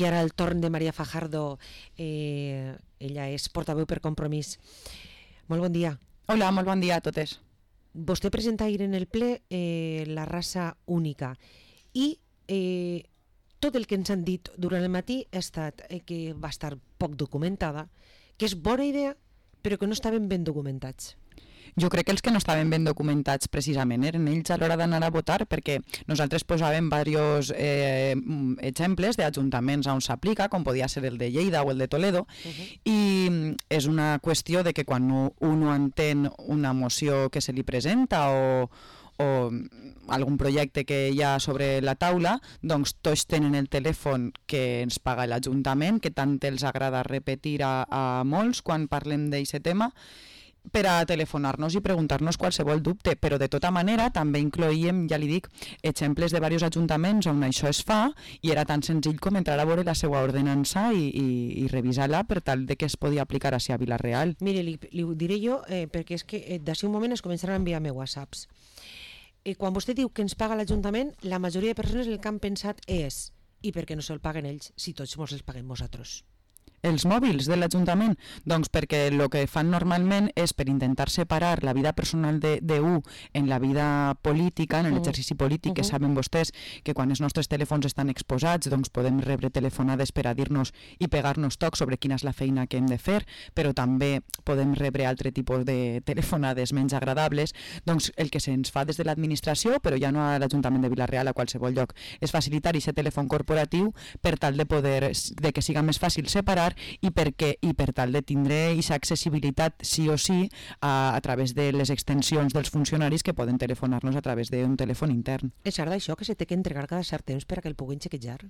I ara el torn de Maria Fajardo, ella és portaveu per Compromís. Molt bon dia. Hola, molt bon dia a totes. Vostè presenta ahir en el ple la raça única i tot el que ens han dit durant el matí ha estat que va estar poc documentada, que és bona idea però que no estaven ben documentats. Jo crec que els que no estaven ben documentats precisament eren ells a l'hora d'anar a votar, perquè nosaltres posàvem diversos exemples d'ajuntaments on s'aplica, com podia ser el de Lleida o el de Toledo, i és una qüestió de que quan un entén una moció que se li presenta o algun projecte que hi ha sobre la taula, doncs tots tenen el telèfon que ens paga l'Ajuntament, que tant els agrada repetir a molts quan parlem d'aquest tema, per a telefonar-nos i preguntar-nos qualsevol dubte, però de tota manera també incloïem, ja li dic, exemples de diversos ajuntaments on això es fa i era tan senzill com entrar a veure la seva ordenança i revisar-la per tal de que es podia aplicar a Vila-real. Mire, li ho diré jo perquè és que d'ací un moment es començaran a enviar-me whatsapps. Quan vostè diu que ens paga l'Ajuntament, la majoria de persones el que han pensat és i per què no se'l paguen ells si tots ens els paguem nosaltres? Els mòbils de l'Ajuntament? Doncs perquè el que fan normalment és per intentar separar la vida personal d'un en la vida política, en l'exercici polític, que saben vostès que quan els nostres telèfons estan exposats doncs podem rebre telefonades per a dir-nos i pegar-nos tocs sobre quina és la feina que hem de fer, però també podem rebre altre tipus de telefonades menys agradables. Doncs el que se'ns fa des de l'administració, però ja no a l'Ajuntament de Vila-real, a qualsevol lloc, és facilitar aquest telèfon corporatiu per tal de que siga més fàcil separar i per tal de tindre aquesta accessibilitat sí o sí a través de les extensions dels funcionaris que poden telefonar-nos a través d'un telèfon intern. És cert això que se té que entregar cada cert temps per a que el puguin xequejar?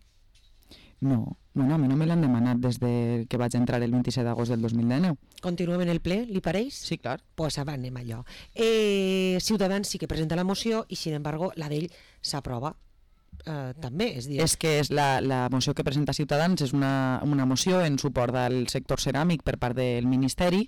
No, bueno, a mi no me l'han demanat des que vaig entrar el 27 d'agost del 2019. Continuem en el ple, li pareix? Sí, clar. Pues anem allò. Ciutadans sí que presenta la moció i, sin embargo, la d'ell s'aprova. També, és que és la moció que presenta Ciutadans és una moció en suport al sector ceràmic per part del Ministeri.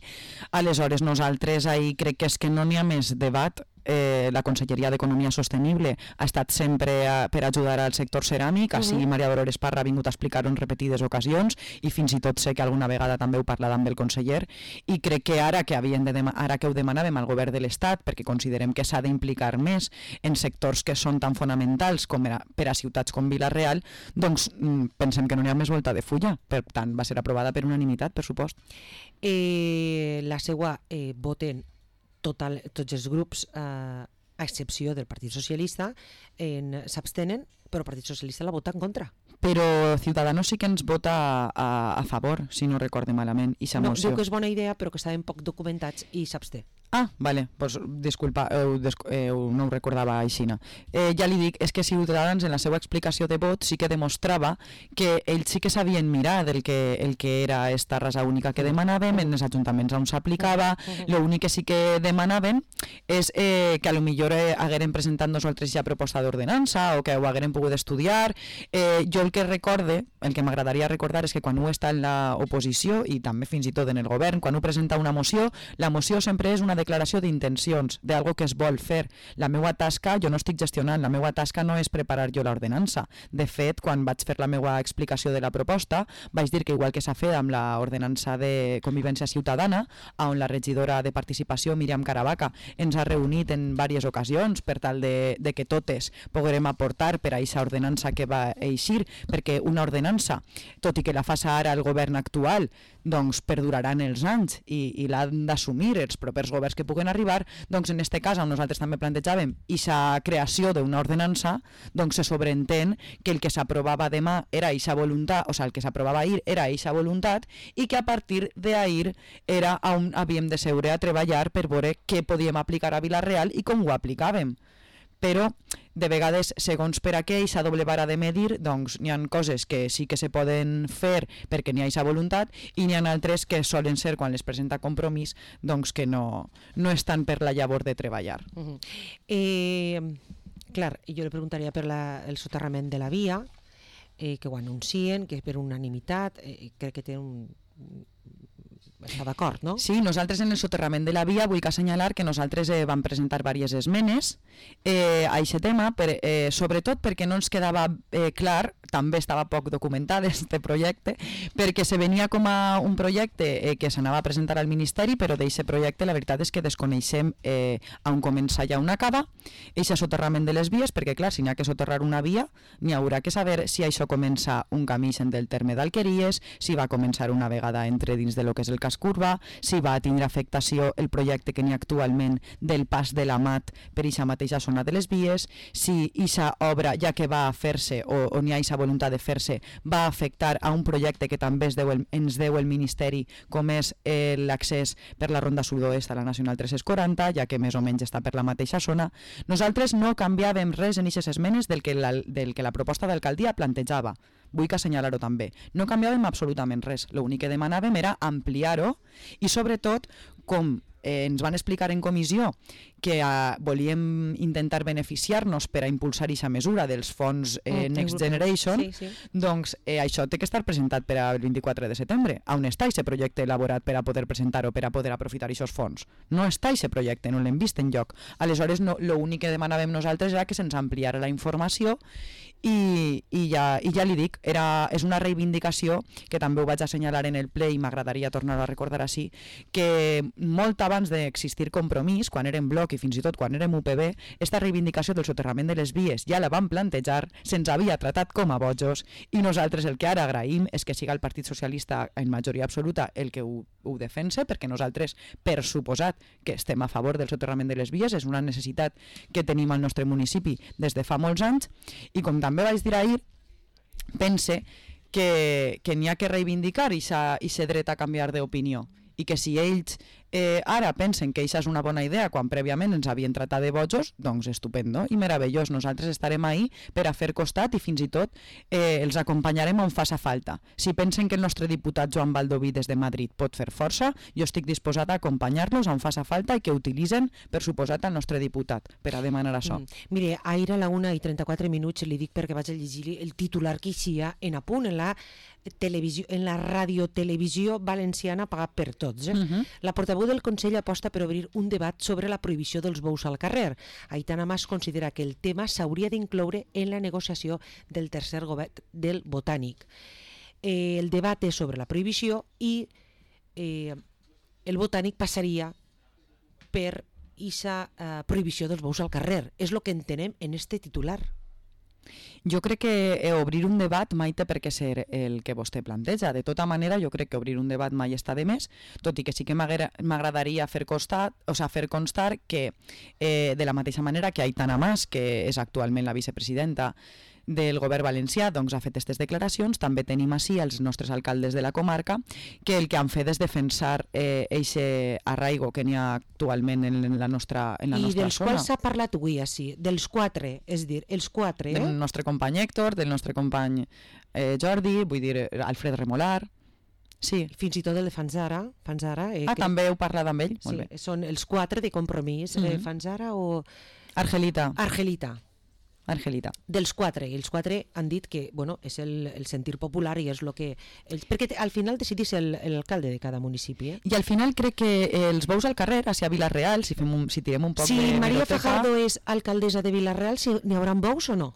Aleshores nosaltres ahir crec que és que no n'hi ha més debat. La Conselleria d'Economia Sostenible ha estat sempre per ajudar al sector ceràmic, així Maria Dolores Parra ha vingut a explicar-ho en repetides ocasions i fins i tot sé que alguna vegada també heu parlat amb el conseller, i crec que ara que ho demanàvem al govern de l'Estat, perquè considerem que s'ha d'implicar més en sectors que són tan fonamentals com per a ciutats com Vila-real, doncs pensem que no n'hi ha més volta de fulla. Per tant, va ser aprovada per unanimitat, per supost. La seva voten tots els grups, a excepció del Partit Socialista, s'abstenen, però el Partit Socialista la vota en contra. Però Ciudadanos sí que ens vota a favor, si no recorde malament, i no, diu que és bona idea, però que estaven poc documentats i s'absté. Ah, vale, pues disculpa, no ho recordava així. Ja li dic, és que Ciutadans en la seva explicació de vot sí que demostrava que ells sí que sabien mirar el que era esta raça única que demanàvem, en els ajuntaments on s'aplicava. L'únic que sí que demanaven és que a lo millor hagueren presentat nosaltres ja proposta d'ordenança o que ho hagueren pogut estudiar. Jo el que m'agradaria recordar és que quan ho està en l'oposició i també fins i tot en el govern, quan ho presenta una moció, la moció sempre és una declaració d'intencions, d'algo que es vol fer. La meva tasca, jo no estic gestionant, la meva tasca no és preparar jo l'ordenança. De fet, quan vaig fer la meva explicació de la proposta, vaig dir que igual que s'ha fet amb l'ordenança de convivència ciutadana, on la regidora de participació, Míriam Caravaca, ens ha reunit en diverses ocasions per tal de que totes poguem aportar per a aquesta ordenança que va eixir, perquè una ordenança, tot i que la faça ara el govern actual, doncs perdurarà en els anys i l'han d'assumir els propers governs que puguen arribar. Doncs en aquest cas, on nosaltres també plantejàvem aquesta creació d'una ordenança, doncs se sobreentén que el que s'aprovava demà era aquesta voluntat, o sigui, el que s'aprovava ahir era aquesta voluntat, i que a partir d'ahir era on havíem de seure a treballar per veure què podíem aplicar a Vila-real i com ho aplicàvem. Però de vegades, segons per a què aquesta doble vara de medir, doncs n'hi ha coses que sí que se poden fer perquè n'hi ha aquesta voluntat i n'hi ha altres que solen ser, quan les presenta Compromís, doncs que no estan per la llavor de treballar. Clar, jo li preguntaria per el soterrament de la via, que ho anuncien, que és per unanimitat, crec que té està d'acord, no? Sí, nosaltres en el soterrament de la via vull assenyalar que nosaltres vam presentar diverses esmenes a aquest tema, sobretot perquè no ens quedava clar, també estava poc documentat este projecte, perquè se venia com a un projecte que s'anava a presentar al Ministeri, però d'aquest projecte la veritat és que desconeixem on comença i on acaba aquest soterrament de les vies, perquè clar, si n'hi ha que soterrar una via, n'hi haurà que saber si això comença un camí del terme d'Alqueries, si va començar una vegada entre dins de lo que és el casc urbà, si va tindre afectació el projecte que n'hi ha actualment del pas de l'Amat per aquesta mateixa zona de les vies, si aquesta obra, ja que va a fer-se o n'hi ha aquesta voluntat de fer-se, va afectar a un projecte que també ens deu el Ministeri, com és l'accés per la Ronda Sud-oest a la Nacional 340, ja que més o menys està per la mateixa zona. Nosaltres no canviàvem res en aquestes esmenes del que la proposta d'alcaldia plantejava. Vull assenyalar-ho també. No canviàvem absolutament res. L'únic que demanàvem era ampliar-ho i sobretot, com ens van explicar en comissió que volíem intentar beneficiar-nos per a impulsar aquesta mesura dels fons Next Generation, doncs això té que estar presentat per al 24 de setembre. On està aquest projecte elaborat per a poder presentar-ho, per a poder aprofitar aquests fons? No està aquest projecte, no l'hem vist enlloc. Aleshores, l'únic que demanàvem nosaltres era que se'ns ampliara la informació i ja li dic, és una reivindicació que també ho vaig assenyalar en el ple i m'agradaria tornar-ho a recordar així, que molt abans d'existir Compromís, quan érem Bloc i fins i tot quan érem UPB, esta reivindicació del soterrament de les vies ja la vam plantejar, se'ns havia tratat com a bojos i nosaltres el que ara agraïm és que siga el Partit Socialista en majoria absoluta el que ho defense, perquè nosaltres, per suposat que estem a favor del soterrament de les vies, és una necessitat que tenim al nostre municipi des de fa molts anys, i com també vaig dir ahir, pense que n'hi ha que reivindicar aquest dret a canviar d'opinió, i que si ells ara pensen que això és una bona idea quan prèviament ens havien tratat de bojos, doncs estupendo i meravellós. Nosaltres estarem ahí per a fer costat i fins i tot els acompanyarem on faça falta. Si pensen que el nostre diputat Joan Baldoví des de Madrid pot fer força, jo estic disposat a acompanyar-los on faça falta i que utilitzen, per suposat, el nostre diputat per a demanar això. Mire, ahir a la 1:34 li dic perquè vaig a llegir el titular que eixia en Apunt, en la radiotelevisió valenciana pagat per tots. La portaveu del Consell aposta per obrir un debat sobre la prohibició dels bous al carrer. Aitana Mas considera que el tema s'hauria d'incloure en la negociació del tercer govern del Botànic. El debat és sobre la prohibició i el Botànic passaria per aquesta prohibició dels bous al carrer. És el que entenem en este titular. Jo crec que obrir un debat mai té per què ser el que vostè planteja. De tota manera, jo crec que obrir un debat mai està de més, tot i que sí que m'agradaria fer constar que de la mateixa manera que Aitana Mas, que és actualment la vicepresidenta del govern valencià, doncs ha fet aquestes declaracions. També tenim així els nostres alcaldes de la comarca, que el que han fet és defensar aquest arraigo que n'hi ha actualment en la nostra zona. I dels quals s'ha parlat avui així, dels quatre, és dir, els quatre. Del nostre company Héctor, del nostre company Jordi, vull dir, Alfred Remolar. Sí. Fins i tot el de Fanzara. També heu parlat amb ell? Sí, són els quatre de Compromís. Fanzara o... Argelita. Dels quatre, i els quatre han dit que és el sentir popular i és el que... Perquè al final decidís l'alcalde de cada municipi. I al final crec que els bous al carrer, a Vilareal, si tirem un poc de Si Maria Fajardo és alcaldessa de Vilareal, n'hi haurà bous o no?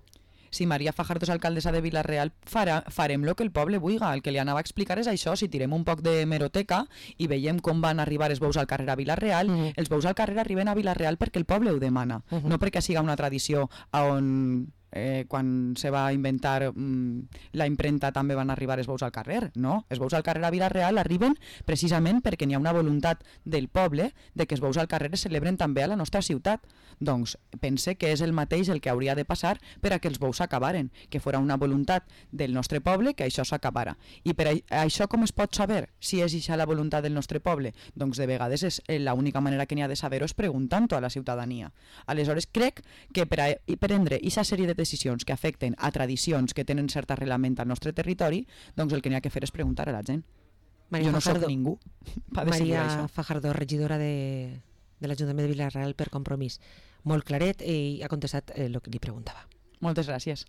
Si Maria Fajardo és alcaldessa de Vilareal, farem el que el poble vulgui. El que li anava a explicar és això. Si tirem un poc de hemeroteca i veiem com van arribar els bous al carrer a Vilareal, els bous al carrer arriben a Vilareal perquè el poble ho demana, no perquè siga una tradició on quan se va inventar la impremta també van arribar els bous al carrer. No, els bous al carrer a Vilareal arriben precisament perquè n'hi ha una voluntat del poble de que els bous al carrer es celebren també a la nostra ciutat. Doncs pense que és el mateix el que hauria de passar per a que els bous s'acabaren, que fora una voluntat del nostre poble que això s'acabara. I per això com es pot saber si és això la voluntat del nostre poble? Doncs de vegades l'única manera que n'hi ha de saber-ho és preguntant-ho a la ciutadania. Aleshores crec que per a prendre aquesta sèrie de decisions que afecten a tradicions que tenen cert arrelament al nostre territori, doncs el que n'hi ha que fer és preguntar a la gent. Jo no soc ningú per decidir això. Maria Fajardo, regidora de l'Ajuntament de Vilareal per Compromís. Molt claret i ha contestat el que li preguntava. Moltes gràcies.